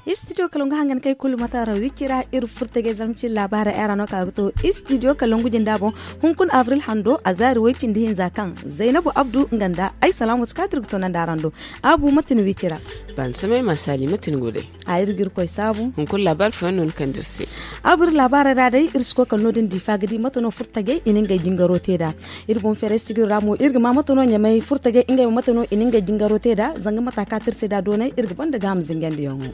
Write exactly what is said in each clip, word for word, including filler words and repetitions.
Istidiyo kala nga hangan kay kulu mata ra wicira iri furta ga zamci labaara era no ka ga to. Istidiyo kala ngu jinda boŋ hunkun avril hando a zaari way cindi hinza kaŋ zaynabu abdu nga nda ay salaamu ti kaati iri ga to nanda araŋ do. Abu mate ni wicira? Ban samay ma saali mate ni go day? A iri ga iri koy saabu. Hunkun labaari fooyaŋ no ni kande iri se? Abu iri labaara ra day iri si koy kala no- din diifa ga di mate no furtajey i na ngey jingaro te nd'a. Iri boŋ feeray sijiro ra mo iri ga ma mate no ɲamay furtajey ngey mo mate no i na ngey jingaro te nd'a zanga mata kaati iri se nd'a doonay iri ga banda gaaham zingandiyaŋo.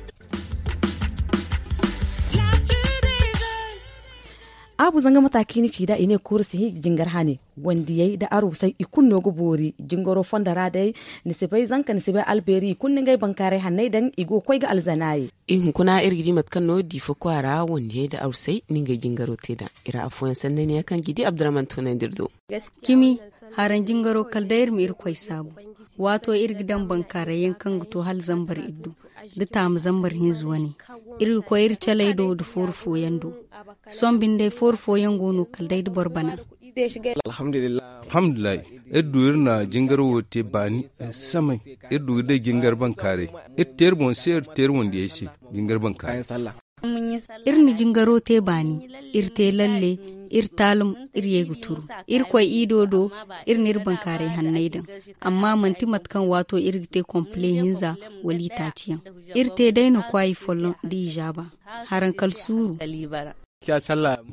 Abu zanga mata kaŋ i na ci nd'a i ne kuuru si hin ga jingar hane. Wandiyey nda arusey i kulu no ga boori jingaro fondo ra day. Ni si bay zanka ni si bay albeeri i kulu na ngey bankaaray hanney daŋ i go ga koy ga alzanaayi. Hunkuna iri ga di mate kaŋ no diifa kwaara wandiyey nda arusey na ngey jingaro te nd'a. Iri afooyaŋ sanney ne yaŋ kaŋ ga i di abdurrahman toonandi iri do. Cimi, haraŋ jingaro kala day iri ma iri koy saabu. Waato iri ga daŋ bankaaray yaŋ kaŋ ga to hala zambar iddu nda taama zambar hinza wane. Iri ga koy iri caley do nda fooru fooyaŋ do. Sohõ binde fooru fooyaŋ go no kala day nda boro bana. Alhamdulillahi. Iri du iri na jingaro wo te baani samay. Iri du ga day jingar bankaaray. Iri te iri boŋ se iri te iri wandiyey se jingar bankaaray. Iri na jingaro te baani. Iri te lalle. Iri taalum. Iri ye ga turu. Iri koy iido do. Iri na iri bankaaray hanney daŋ. Amma manti mate kaŋ waato iri ga te kompile hinza wala itaaci yaŋ. Iri te day no kwaayi folloŋ nda izaaba. Haraŋ kala suuru.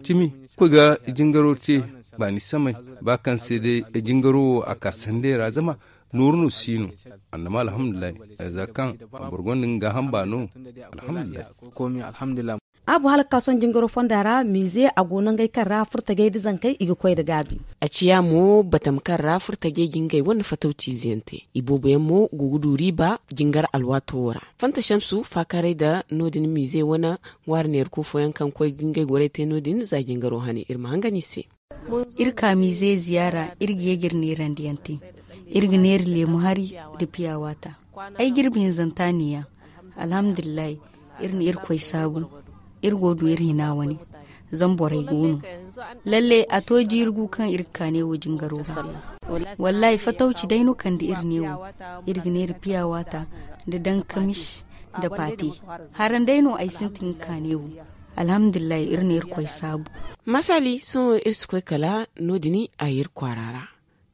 Cimi, koy ga jingaro te baani samay. Ba kaŋ se day jingaro wo a ka sandey ra zama nooru no si no. Annama alhamdulillahi. Za kaŋ boro gonda nga gaaham baano. Alhamdulillahi. Abu hala ga ka sohõ jingaro fonda ra miize a go nangey kaŋ ra furtajey nda zankey i ga koy nda gaabi. A ciya mo batama kaŋ ra furtajey ga ngey wane fatawci ize yaŋ te. Iboobo yaŋ mo go ga du riiba jingar alwaato wo ra. Fanta shamsu faakaaray nda no- din miize wane ŋwaari neerako fooyaŋ kaŋ koy ga ngey gorey te no- din za jingaro hane iri ma hangan i se. Iri ka miize ziyaara iri ga ye ga iri neerandi yaŋ te. Iri ga neera leemu hari nda piya waata. Ay jirbi hinzanta neeya. Alhamdulillahi. Iri na irkoy saabu. Iri go du iri hina wane. Zama borey go no. Lalle a to jiiri gu kaŋ iri ga ka ne wo jingaro ga. Wallahi fatawci day no kande iri ne wo. Iri ga neera piya waata nda dankamish nda paate. Haraŋ day no ay sintin ga ka ne wo. Alhamdulillahi iri na irkoy saabu. Masali sohõ iri si koy kala no- din a ye iri kwaara ra.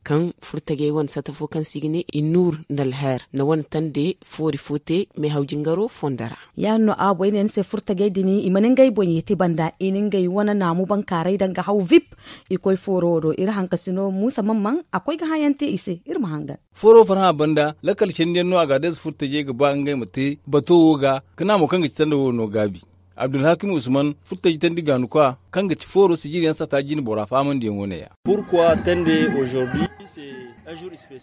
Kaŋ furtajey wane sata fo kaŋ se i ga ne i nuur nda alher na wane tande foori fo te meehaw jingaro fondo ra. Ya- din no a boy ne ni se furtajey din i mana ngey boŋ ye te banda i na ngey wane naamu bankaaray daŋ ga haw vip. I koy fooro wo do iri hankasino muusa mamman a koy ga hayaŋ te i se. Iri ma hangan. Fooro farhã banda lakkal candiyaŋ no a ga adayze furtajey ga ba ngey ma te bato wo ga ka naamo kaŋ ga ci tanda wo no gaabi. Abdulhakim usman furtaji tandi gaanukwa kaŋ ga ci fooro sijiriyaŋ sata jine bora faamandiyaŋo ne ya. Pourquoi tande aujourd'hui?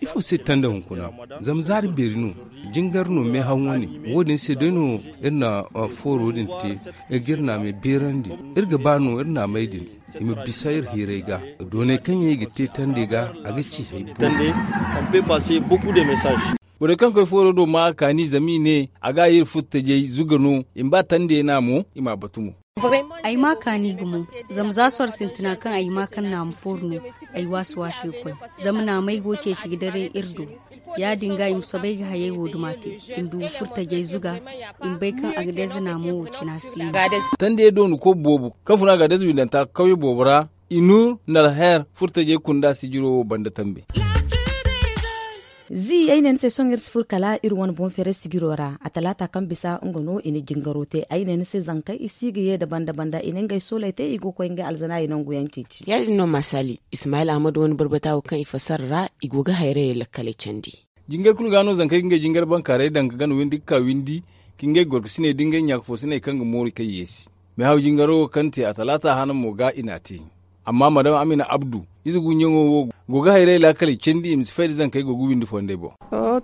Ifo se tande hunkuna? Zama zaari beeri no. Jingar no meehaŋo ne. Wo-din se day no iri na fooro din te. Iri ga iri naamey beerandi. Iri ga ba no iri naamey din i ma bisa iri hiiray ga. Doonay kaŋ yaŋ i ga te tande ga a ga ci hay boobo. Borey kaŋ koy fooro do ma a kaani zama i ne a ga a ye iri furtajey zuga no i ma ba tande naamo i m'a batu mo. Ay m'a kaani gumo. Zama za soro sintina kaŋ ay ma kaŋ naamu fooru no. Ay waasi waasi ga koy. Zama naamey go ceeci ga daray iri do. Ya- din ga i ma soobay ga hayey wo duma te. I ma du ga furtajey zuga. I ma bay kaŋ a ga dayze naamo wo cina si no. Tandiyey doonu koy boobo kaŋ fun a ga dayze windanta kawye boobo ra. I nuur nda alher furtajey kunda sijiro wo banda tambe. Zi ay ne ni se sohõ iri si furo kala iri wane boŋ feeray sijiro ra a talaata kaŋ bisa nga no i na jingaro te ay ne ni se zankey i si ga ye nda banda banda i na ngey sooley te i go ga koy ngey alzanaayi nangu yaŋ ceeci. Ya- din no maasali ismaayil ahmad wane barbata wo kaŋ i fassara ra i go ga hayrayey lakkaley candi. Jingar kulu ga no zankey ga ngey jingar bankaaray daŋ ga gana windi ga ka windi ka ngey gorkasiney da ngey ɲaakafoosiney kaŋ ga mooru kay yeesi. Meehaw jingaro wo kaŋ te a talaata hana mo ga i n'a te. Amma madam amina abdu ize gunyaŋo wo go ga hayray laakaley candi i ma si fay da zankey go ga windi fondey boŋ.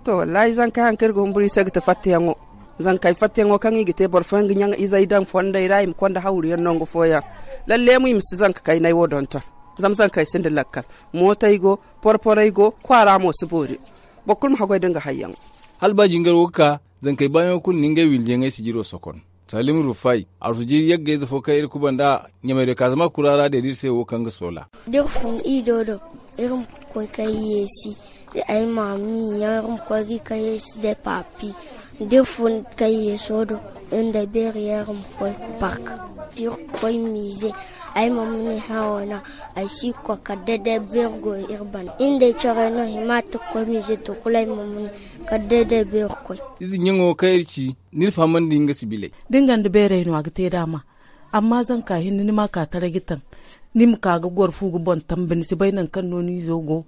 To wallaahi zankey haŋ kaŋ iri ga humburu i se ga ti fattayaŋo. Zankey fattayaŋo kaŋ i ga te boro fooyaŋ ga ɲaŋ izey daŋ fondey ra i ma konda hawruyaŋ nangu fooyaŋ. Lalle mo i ma si zanka kaynay wo donton. Zama zankey sinda lakkal. Mootey go, porporey go, kwaara mo si boori. Boro kulu ma haggoy da nga hayyaŋo. Hala ba jingaro ga ka Zankey baayaŋo kulu na ngey wildiyaŋey sijiro sokon. Salim Rufay, arsu jiiri yaggayze fo kaŋ iri kubanda ɲamay do kaazama kura ra deeda iri se wo kaŋ ga soola. Da iri fun ido do, iri ma koy kay yeesi. Ay ma mi yaŋ iri ma koy ga kay yeesi de papi. Da iri fun kay yeeso do, iri nda beeri yaŋ iri ma koy park. Da iri koy miize, ay ma mune hawana. Ay si koy kala day day beeri go iri bana iri nda ay corey no hima ta koy miize to kulu ay ma mune kala day day beeri koy. Ize ɲaŋo kaŋ iri ci, ni na fahamandi nga sibiley. Da nga nda beerey no a ga te daama. Amma zanka hinne ni ma ka taray ga taŋ. Ni ma ka ga goro fu ga boŋ tambe ni si bay nangu kaŋ no ni izo go.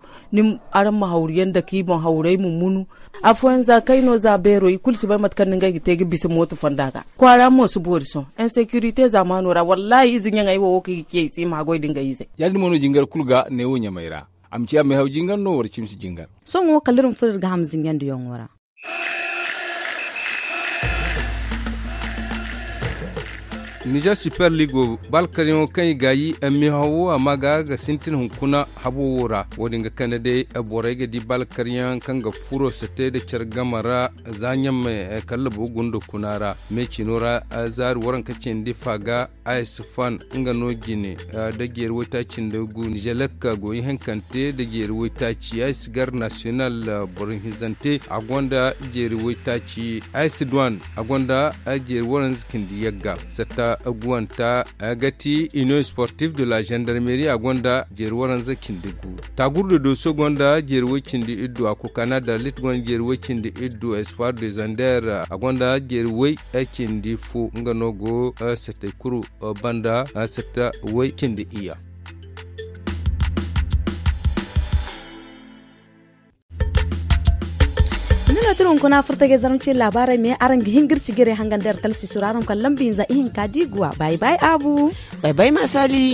Araŋ ma hawru yaŋ dake i boŋ hawrey ma munu. Afooyaŋ za kay no za beero i kulu si bay mate kaŋ no ngey ga te ga bisa mooto fonda ga. Kwaara mo si boori sohõ. Insekirite zaamaano ra wallaahi ize ɲaŋey wo wo kaŋ i ga ciyey si i ma haggoy nda ngey izey. Ya- din mo no jingar kulu ga neewo ɲamey ra. A ma ciya meehaw jingar no wala cimsi jingar. Sohõ wo kala iri ma furo iri ga ham zinjandi yaŋo ra. Nizer super ligo baalkaryaŋo kaŋ i gaayi meehawo a ma ga ga sintin hunkuna habo wo ra. Wo- din ga kande day borey ga di baalkaryaŋ kaŋ ga furo sate nda care game ra. Za ɲammey kallabo gunda kuna ra me cino ra. Zaari waranka cindi fa ga aysifan nga no jine nda jeeri waytaaci nda gu nizelek go ihankante nda jeeri waytaaci aysigar nasiyonal boro hinzante a gonda jeeri waytaaci aysiduwan a gonda jeeri waranza cindi yagga satta guwanta ga ti ino sportif de la gendarmeri a gonda jeeri waranza cindi gu. Taagurda dooso gonda jeeri way cindi iddu a kokaana da lit gonda jeeri way cindi iddu espoir de zander a gonda jeeri way cindi fo nga no go satey kulu banda satta way cindi iyya. Ni no tira hunkuna furtagay zarmacin laabaarey me araŋ ga hin ga iri sijiray hangan da iri talsiisu ra araŋ ma kala lamba hinza ihinka da i guwa bay bay abu. Bay bay ma saali.